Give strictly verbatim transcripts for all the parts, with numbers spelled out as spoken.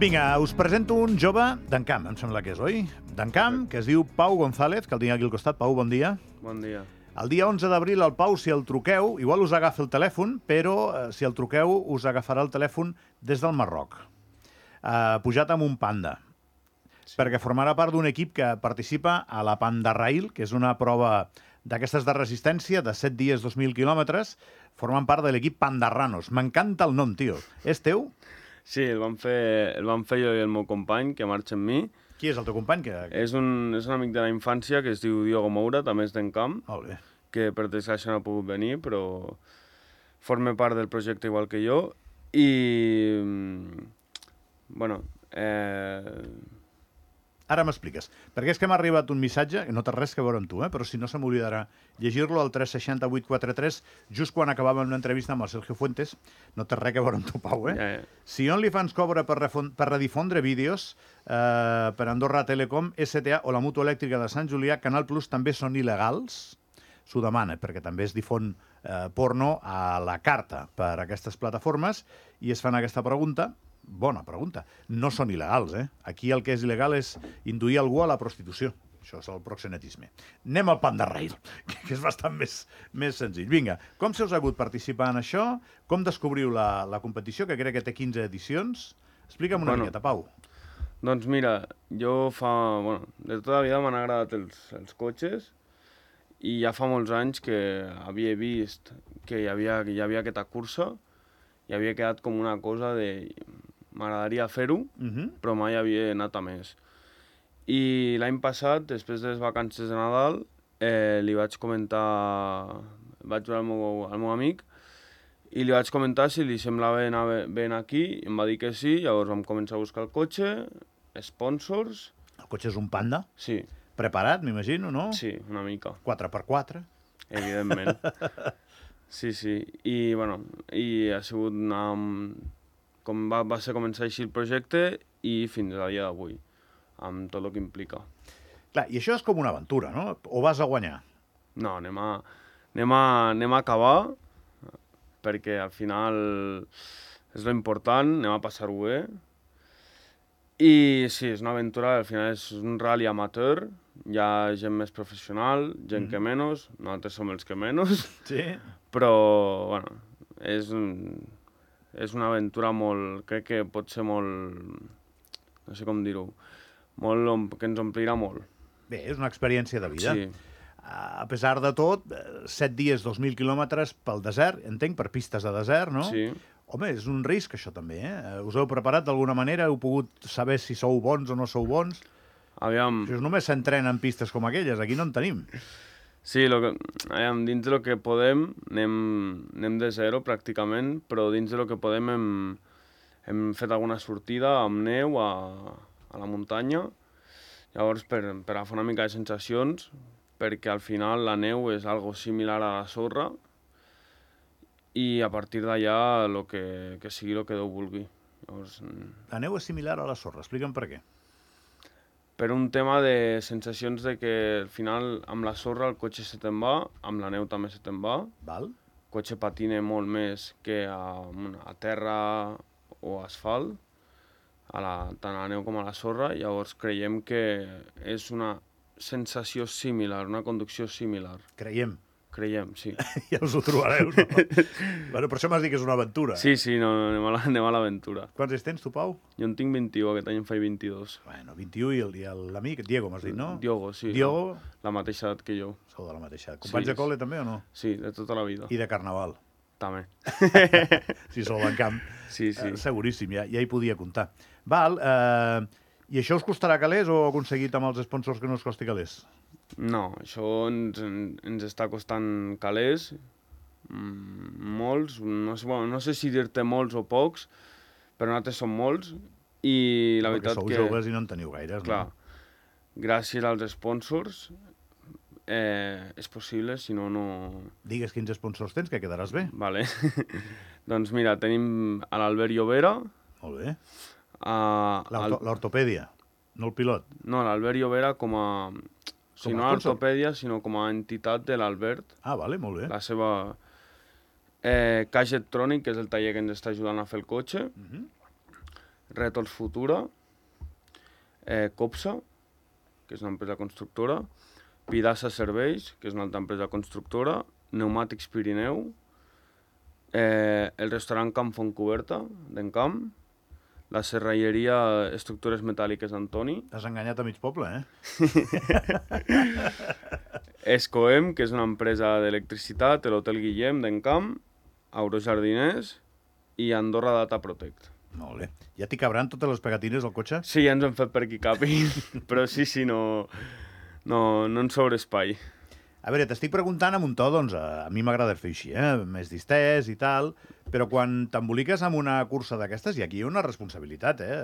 Vinga, us presento un jove d'Encamp, em sembla que és, oi? D'Encamp, que es diu Pau González, que el tinc aquí al costat. Pau, bon dia. Bon dia. El dia onze d'abril, el Pau, si el truqueu, igual us agafa el telèfon, però eh, si el truqueu us agafarà el telèfon des del Marroc, eh, pujat amb un panda, sí. perquè formarà part d'un equip que participa a la Panda Rail, que és una prova d'aquestes de resistència, de set dies, dos mil quilòmetres, formant part de l'equip Pandarranos. M'encanta el nom, tio. És teu? Sí, el vam fer, el vam fer jo i el meu company, que marxa amb mi. Qui és el teu company? Que... És, un, és un amic de la infància que es diu Diogo Moura, també és d'Encamp, que per desgràcia no ha pogut venir, però forma part del projecte igual que jo. I, bueno... Eh... Ara m'expliques. Perquè és que m'ha arribat un missatge, que no té res que veure amb tu, eh? però si no se m'oblidarà llegir-lo al tres sis zero vuit quatre tres, just quan acabàvem una entrevista amb el Sergio Fuentes. No té res que veure amb tu, Pau, eh? Ja, ja. Si OnlyFans cobra per, per redifondre vídeos eh, per Andorra Telecom, S T A o la Mutua Elèctrica de Sant Julià, Canal Plus també són il·legals? S'ho demana, perquè també es difon eh, porno a la carta per aquestes plataformes i es fan aquesta pregunta. Bona pregunta. No són il·legals, eh? Aquí el que és il·legal és induir algú a la prostitució. Això és el proxenetisme. Anem al Panda Rail, que és bastant més, més senzill. Vinga, com se us ha hagut participar en això? Com descobriu la, la competició, que crec que té quinze edicions? Explica'm una bueno, miqueta, Pau. Doncs mira, jo fa... Bueno, de tota la vida m'han agradat els, els cotxes i ja fa molts anys que havia vist que hi havia, que hi havia aquesta cursa i havia quedat com una cosa de... M'agradaria fer-ho, uh-huh. però mai havia anat a més. I l'any passat, després de les vacances de Nadal, eh, li vaig comentar... Vaig veure al meu, al meu amic i li vaig comentar si li semblava anar ben aquí, i em va dir que sí, llavors vam començar a buscar el cotxe, sponsors... El cotxe és un Panda? Sí. Preparat, m'imagino, no? Sí, una mica. quatre per quatre? Evidentment. Sí, sí. I, bueno, i ha sigut una... Com va, va ser començar així el projecte i fins a dia d'avui, amb tot el que implica. Clar, i això és com una aventura, no? O vas a guanyar? No, anem a, anem a, anem a acabar, perquè al final és l'important, anem a passar-ho bé. I sí, és una aventura, al final és un rally amateur, hi ha gent més professional, gent mm. que menys, nosaltres som els que menys, sí. Però, bueno, és un... És una aventura molt... Crec que pot ser molt... No sé com dir-ho. Molt... Que ens omplirà molt. Bé, és una experiència de vida. Sí. A pesar de tot, set dies, dos mil quilòmetres pel desert, entenc, per pistes de desert, no? Sí. Home, és un risc, això també, eh? Us heu preparat d'alguna manera? Heu pogut saber si sou bons o no sou bons? Aviam... Això només s'entrena en pistes com aquelles. Aquí no en tenim. Sí, lo que, aviam, dins del que podem anem, anem de zero pràcticament, però dins del que podem hem, hem fet alguna sortida amb neu a, a la muntanya. Llavors, per, per agafar una mica de sensacions, perquè al final la neu és algo similar a la sorra i a partir d'allà lo que, que sigui el que Déu vulgui. Llavors, la neu és similar a la sorra, explica'm per què. Per un tema de sensacions de que al final amb la sorra el cotxe se te'n va, amb la neu també se te'n va. Val. El cotxe patina molt més que a, a terra o asfalt, a la, tant a la neu com a la sorra. Llavors creiem que és una sensació similar, una conducció similar. Creiem. Creiem, sí. Ja us ho trobareu, no? Bueno, per això m'has dit que és una aventura. Sí, sí, no, anem a la, anem a l'aventura. Quants anys tens, tu, Pau? Jo en tinc vint-i-u, aquest any en faig vint-i-dos. Bueno, vint-i-u i l'amic, Diego, m'has dit, no? Diogo, sí. Diogo... La mateixa edat que jo. Sou de la mateixa edat. Companys sí, de col·le també o no? Sí, de tota la vida. I de carnaval? També. Si sou d'Encamp. Sí, sí. Eh, seguríssim, ja, ja hi podia comptar. Val, eh, i això us costarà calés o heu aconseguit amb els sponsors que no us costi calés? No, això ens, ens està costant calés, molts, no sé, bueno, no sé si dir-te molts o pocs, però nosaltres som molts, i la Perquè veritat sou que... sou joves i no en teniu gaires, clar, no? Gràcies als sponsors eh, és possible, si no, no... Digues quins sponsors tens, que quedaràs bé. Vale. Doncs mira, tenim a l'Albert Llobera. Molt bé. Al... L'ortopèdia, no el pilot. No, l'Albert Llobera com a... Si no a ortopèdia, sinó com a entitat de l'Albert. Ah, vale, molt bé. La seva... Eh, Caixa Electrònic, que és el taller que ens està ajudant a fer el cotxe. Uh-huh. Rètols Futura, eh, Copsa, que és una empresa constructora, Pidassa Serveis, que és una altra empresa constructora, Pneumàtics Pirineu, eh, el restaurant Camp Fontcoberta, d'Encamp, la serralleria Estructures Metàl·liques Antoni. T'has enganyat a mig poble, eh? Escoem, que és una empresa d'electricitat, l'Hotel Guillem d'Encamp, Aurojardiners i Andorra Data Protect. Molt bé. Ja t'hi cabran totes les pegatines al cotxe? Sí, ja ens hem fet per aquí capin, però sí, sí, no, no, no ens sobra espai. A veure, t'estic preguntant amb un to, doncs, a, a mi m'agrada fer així, eh? Més distès i tal, però quan t'emboliques amb una cursa d'aquestes, i aquí hi ha una responsabilitat, eh?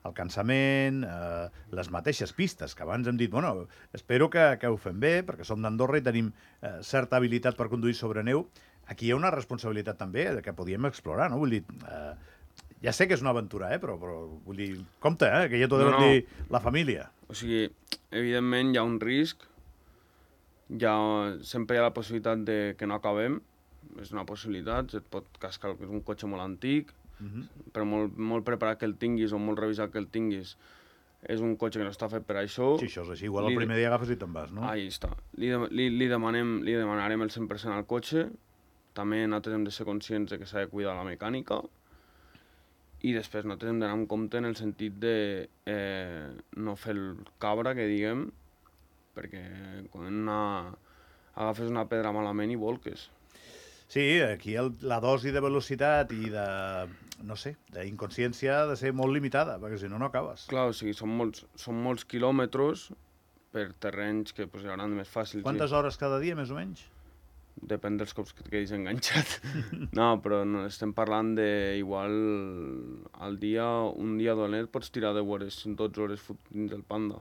El cansament, eh, les mateixes pistes, que abans hem dit, bueno, espero que, que ho fem bé, perquè som d'Andorra i tenim eh, certa habilitat per conduir sobre neu. Aquí hi ha una responsabilitat també que podíem explorar, no? Vull dir, eh, ja sé que és una aventura, eh? Però, però vull dir, compte, eh? Que ja t'ho deuen No, no. dir la família. O sigui, evidentment hi ha un risc, ja sempre hi ha la possibilitat de que no acabem, és una possibilitat, et pot cascar, és un cotxe molt antic, Mhm. però molt, molt preparat que el tinguis o molt revisat que el tinguis, és un cotxe que no està fet per això. Sí, això és així. Igual Li el de- primer dia agafes i te'n vas, no? Ahí està. Li, de, li, li, demanem, li demanarem el cent per cent al cotxe, també nosaltres hem de ser conscients de que s'ha de cuidar la mecànica, i després nosaltres hem d'anar en compte en el sentit de eh, no fer el cabra, que diguem, perquè quan una, agafes una pedra malament i volques. Sí, aquí el, la dosi de velocitat i de, no sé, d'inconsciència ha de ser molt limitada, perquè si no, no acabes. Clar, o sigui, són molts, són molts quilòmetres per terrenys que pues, hi hauran més fàcils. Quantes hores cada dia, més o menys? Depèn dels cops que et quedis enganxat. No, però no, estem parlant de igual al dia, un dia dolent pots tirar deu hores, dotze hores fot dins del Panda.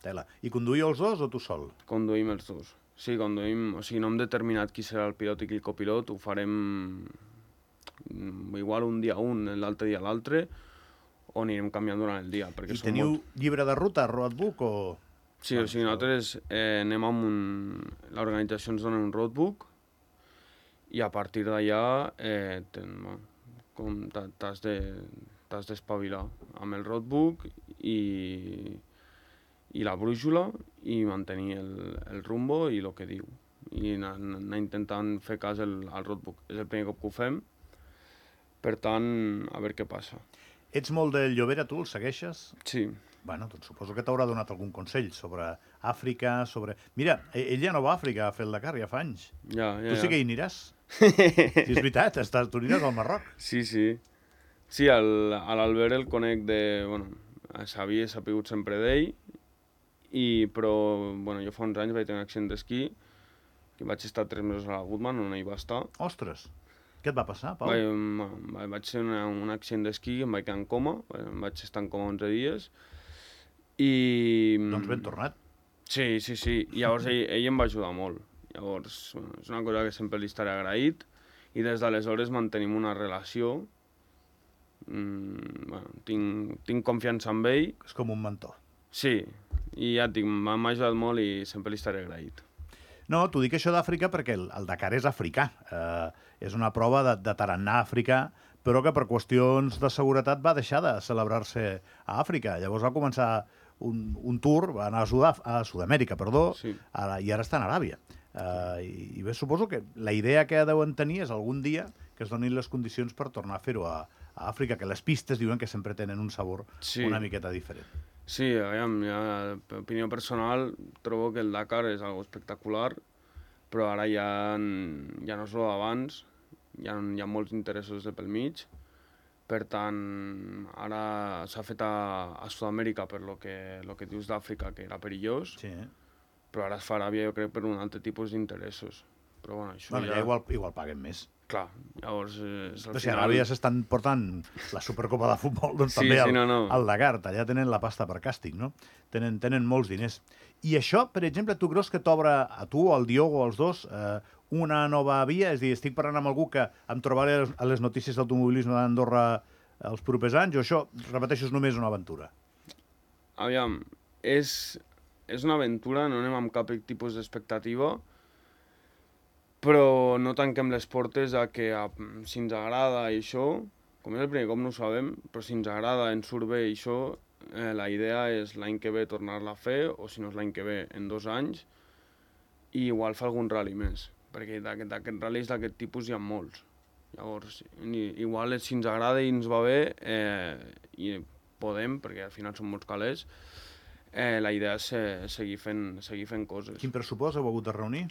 Tela. I conduïu els dos o tu sol? Conduïm els dos. Sí, conduïm, o sigui, no hem determinat qui serà el pilot i qui el copilot, ho farem mm, igual un dia un, l'altre dia l'altre, o anirem canviant durant el dia. Perquè I són teniu molts... llibre de ruta, roadbook, o...? Sí, o sigui, nosaltres eh, anem amb un... L'organització ens dona un roadbook i a partir d'allà eh, ten, bueno, com t'ha- t'has de, t'has d'espavilar amb el roadbook i, i la brúixola i mantenir el, el rumbo i el que diu. I anar, anar intentant fer cas al, al roadbook. És el primer cop que ho fem, per tant, a veure què passa. Ets molt del Llobera, tu? El segueixes? Sí. Bueno, doncs suposo que t'haurà donat algun consell sobre Àfrica, sobre... Mira, ell ja no va a Àfrica a fer el Dakar, ja fa anys. Ja, ja, Tu sí ja. que hi aniràs? Sí, és veritat, estàs, tu aniràs al Marroc. Sí, sí. Sí, el- a l'Albert el conec de... Bueno, s'havia sapigut sempre d'ell, i, però bueno, jo fa uns anys vaig tenir un accident d'esquí, que vaig estar tres mesos a la Goodman, on ell va estar. Ostres, què et va passar, Pau? Vaig, va- vaig ser una, un accident d'esquí, em vaig quedar en coma, em vaig estar en coma onze dies, i... Doncs ben tornat. Sí, sí, sí. I llavors ell, ell em va ajudar molt. Llavors, bueno, és una cosa que sempre li estaré agraït, i des d'aleshores mantenim una relació. Mm, bueno, tinc, tinc confiança en ell. És com un mentor. Sí, i ja et dic, m'ha m'ha ajudat molt i sempre li estaré agraït. No, t'ho dic això d'Àfrica perquè el, el Dakar és africà. Eh, és una prova de, de tarannà africà, però que per qüestions de seguretat va deixar de celebrar-se a Àfrica. Llavors va començar un, un tour, va anar a, Sudaf a Sud-amèrica, perdó, Sí. ara, i ara està en Aràbia. Eh, i, I bé, suposo que la idea que deuen tenir és algun dia que es donin les condicions per tornar a fer-ho a, a Àfrica, que les pistes diuen que sempre tenen un sabor Sí. una miqueta diferent. Sí, aviam, ja, per opinió personal, trobo que el Dakar és algo espectacular, però ara ja, ja no és el d'abans, hi ha, hi ha molts interessos de pel mig. Per tant, ara s'ha fet a, a Sud-amèrica per lo que, lo que dius d'Àfrica, que era perillós, Sí, eh? però ara es fa a Aràbia, jo crec, per un altre tipus d'interessos. Però bueno, això Bueno, ja... ja igual, igual paguen més. Clar, llavors... Eh, és al Però si a final- Aràbia s'estan portant la Supercopa de Futbol, doncs Sí, també sí, al, no, no. al Dakar, allà tenen la pasta per càstig, no? Tenen, tenen molts diners. I això, per exemple, tu creus que t'obre a tu, al Diogo, als dos, eh, una nova via? És a dir, estic parlant amb algú que em trobaré a les- a les notícies d'automobilisme d'Andorra els propers anys, o això, repeteixo, és només una aventura? Aviam, és, és una aventura, no anem amb cap tipus d'expectativa, però no tanquem les portes a que a, si ens agrada i això, com és el primer cop no ho sabem, però si ens agrada, ens surt bé i això, eh, la idea és l'any que ve tornar-la a fer, o si no és l'any que ve, en dos anys, i igual fa algun rally més, perquè d'aquests ral·lis d'aquest tipus hi ha molts. Llavors, igual si ens agrada i ens va bé, eh, i podem, perquè al final són molts calés, eh, la idea és seguir fent, seguir fent coses. Quin pressupost heu hagut de reunir?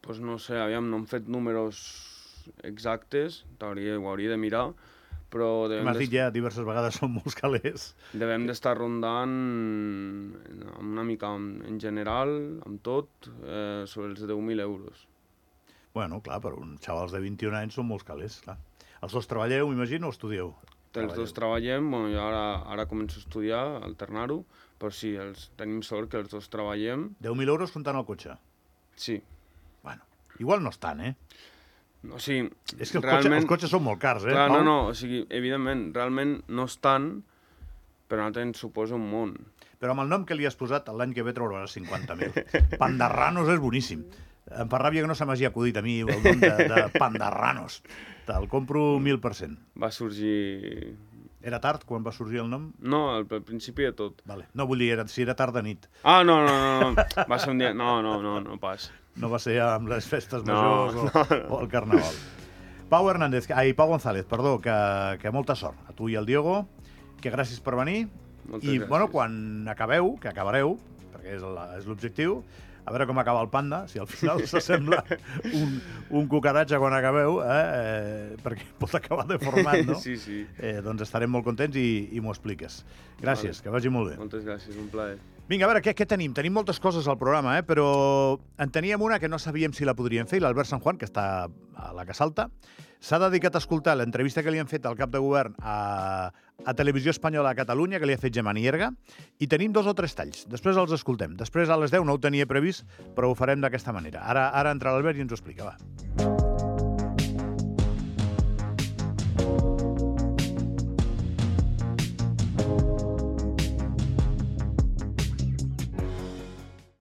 Pues no sé, aviam, no hem fet números exactes, ho hauria de mirar, però... M'has dit ja diverses vegades, són molts calés. Devem d'estar rondant una mica en general, amb tot, eh, sobre els deu mil euros. Bueno, clar, per uns xavals de vint-i-un anys són molts calés, clar. Els dos treballeu, m'imagino, o estudieu? Els dos treballem, bueno, jo ara, ara començo a estudiar, a alternar-ho, però sí, els, tenim sort que els dos treballem. deu mil euros comptant el cotxe? Sí. Bueno, igual no és tant, eh? O sigui, és que els, realment... cotxe, els cotxes són molt cars, eh? Clar, no, no, o sigui, evidentment, realment no és tant, però a nosaltres ens suposa un món. Però amb el nom que li has posat, l'any que ve trobaràs cinquanta mil. Pandarranos és boníssim. Em fa ràbia que no se m'hagi acudit a mi el nom de, de Pandarranos. Te'l compro mil per cent. Va sorgir... Era tard quan va sorgir el nom? No, al, al principi de tot. Vale. No, vull dir, era, si era tard de nit. Ah, no, no, no, no. Va ser un dia... No, no, no, no pas. No va ser amb les festes No, majors o, no, no. o el carnaval. Pau Hernández, ai, Pau González, perdó, que, que molta sort. A tu i al Diego, que gràcies per venir. Moltes I, gràcies. bueno, quan acabeu, que acabareu, perquè és la- és l'objectiu, a veure com acaba el panda, si al final s'assembla un, un cucaratge quan acabeu, eh, eh, perquè pot acabar deformat, no? Sí, sí. Eh, doncs estarem molt contents i, i m'ho expliques. Gràcies, Vale. que vagi molt bé. Moltes gràcies, un plaer. Vinga, a veure, què, què tenim? Tenim moltes coses al programa, eh? Però en teníem una que no sabíem si la podríem fer, i l'Albert San Juan, que està a la que salta, s'ha dedicat a escoltar l'entrevista que li han fet al cap de govern a, a Televisió Espanyola a Catalunya, que li ha fet Gemma Nierga, i tenim dos o tres talls. Després els escoltem. Després a les deu no ho tenia previst, però ho farem d'aquesta manera. Ara, ara entra l'Albert i ens ho explica, va.